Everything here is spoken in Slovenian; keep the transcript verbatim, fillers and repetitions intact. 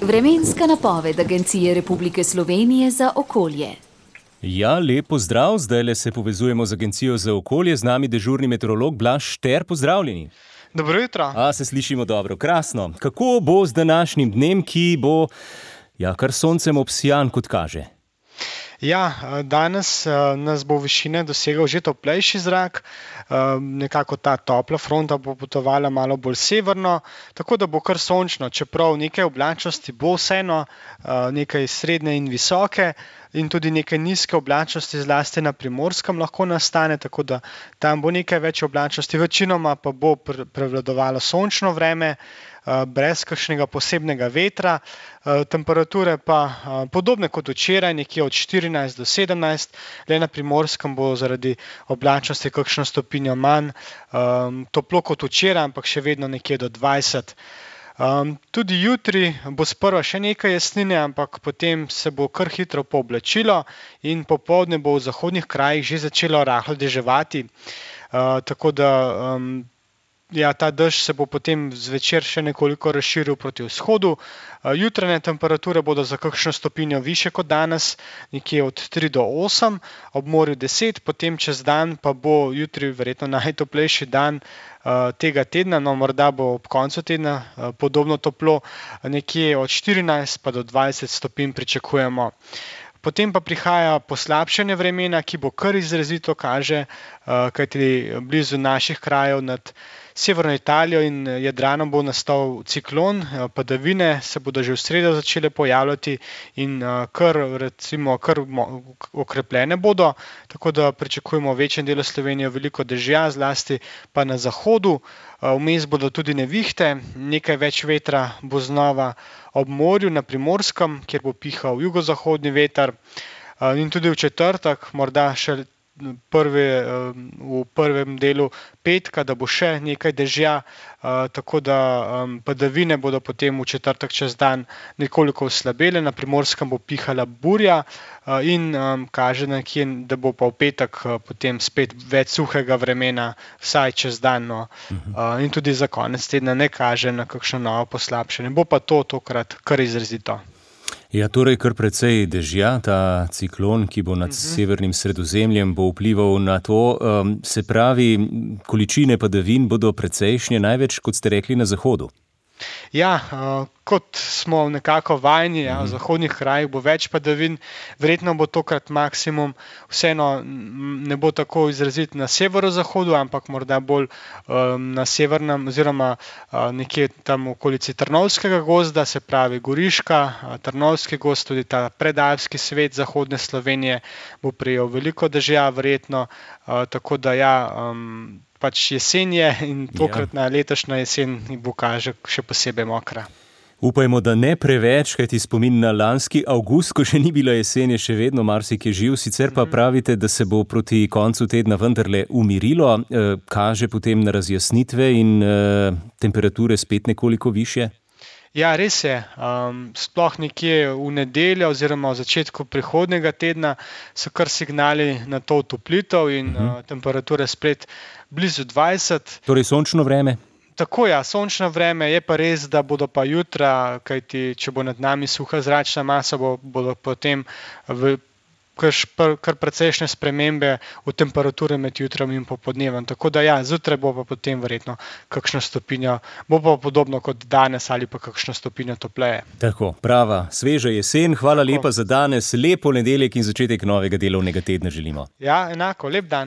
Vremenska napoved Agencije Republike Slovenije za okolje. Ja, lep pozdrav, zdajle se povezujemo z Agencijo za okolje, z nami dežurni meteorolog Blaž Šter, pozdravljeni. Dobro jutro. A, se slišimo dobro, krasno. Kako bo z današnjim dnem, ki bo, ja, kar soncem obsijan, kot kaže? Ja, danes nas bo v višine dosegal že toplejši zrak, nekako ta topla fronta bo potovala malo bolj severno, tako da bo kar sončno, čeprav nekaj oblačnosti bo vseeno, nekaj srednje in visoke in tudi nekaj nizke oblačnosti zlasti na Primorskem lahko nastane, tako da tam bo nekaj več oblačnosti, večinoma pa bo prevladovalo sončno vreme, brez kakšnega posebnega vetra, temperature pa podobne kot včeraj, nekje od štirinajst do sedemnajst, le na Primorskem bo zaradi oblačnosti kakšno stopinjo manj, toplo kot včeraj, ampak še vedno nekje do dvajset. Um, tudi jutri bo sprva še nekaj jasnine, ampak potem se bo kar hitro pooblačilo in popoldne bo v zahodnih krajih že začelo rahlo deževati, uh, tako da um, ja, ta dež se bo potem zvečer še nekoliko razširil proti vzhodu. Jutranje temperature bodo za kakšno stopinjo višje kot danes, nekje od tri do osem, ob morju deset, potem čez dan pa bo jutri verjetno najtoplejši dan tega tedna, no morda bo ob koncu tedna podobno toplo, nekje od štirinajst pa do dvajset stopinj pričakujemo. Potem pa prihaja poslabšanje vremena, ki bo kar izrazito kaže, kajti blizu naših krajev nad severno Italijo in Jadranom bo nastal ciklon, padavine se bodo že v sredo začele pojavljati in kar, recimo, kar okrepljene bodo, tako da pričakujemo v večjem delu Slovenije veliko dežja, zlasti pa na zahodu. Vmes bodo tudi nevihte, nekaj več vetra bo znova ob morju na Primorskem, kjer bo pihal jugozahodni veter, in tudi v četrtek, morda še Prvi, v prvem delu petka, da bo še nekaj dežja, tako da padavine bodo potem v četrtek čez dan nekoliko oslabele, na Primorskem bo pihala burja in kaže nekje, da bo pa v petek potem spet več suhega vremena, vsaj čez dan, no. In tudi za konec tedna ne kaže na kakšno novo poslabšanje, bo pa to tokrat kar izrazito. Ja, torej kar precej dežja, ta ciklon, ki bo nad uh-huh. severnim Sredozemljem, bo vplival na to, um, se pravi, količine padavin bodo precejšnje, največ, kot ste rekli, na zahodu. Ja, uh, kot smo nekako vajeni, ja, v zahodnih krajih bo več padavin, verjetno bo tokrat maksimum, vseeno ne bo tako izrazit na severozahodu, ampak morda bolj um, na severnem oziroma uh, nekje tam v okolici Trnovskega gozda, se pravi Goriška, uh, Trnovski gozd, tudi ta predalpski svet zahodne Slovenije bo prejel veliko dežja, verjetno, uh, tako da ja, um, pač jesen je in tokratna letošnja jesen bo kaže še posebej mokra. Upajmo, da ne preveč, kajti spomin na lanski avgust, ko še ni bila jesen, je še vedno marsik je živ, sicer pa pravite, da se bo proti koncu tedna vendarle umirilo, kaže potem na razjasnitve in temperature spet nekoliko višje? Ja, res je. Um, sploh nekje v nedeljo oziroma v začetku prihodnjega tedna so kar signali na to otoplitev in uh-huh. uh, temperature spet blizu dvajset. Torej sončno vreme? Tako ja, sončno vreme, je pa res, da bodo pa jutra, kajti če bo nad nami suha zračna masa, bo, bodo potem v kar, kar precejšnje spremembe v temperature med jutrom in popodnevom. Tako da ja, zjutraj bo pa potem verjetno kakšno stopinjo, bo pa podobno kot danes ali pa kakšno stopinjo topleje. Tako, prava, sveža jesen, hvala Tako. lepa za danes, lep ponedeljek in začetek novega delovnega tedna želimo. Ja, enako, lep dan.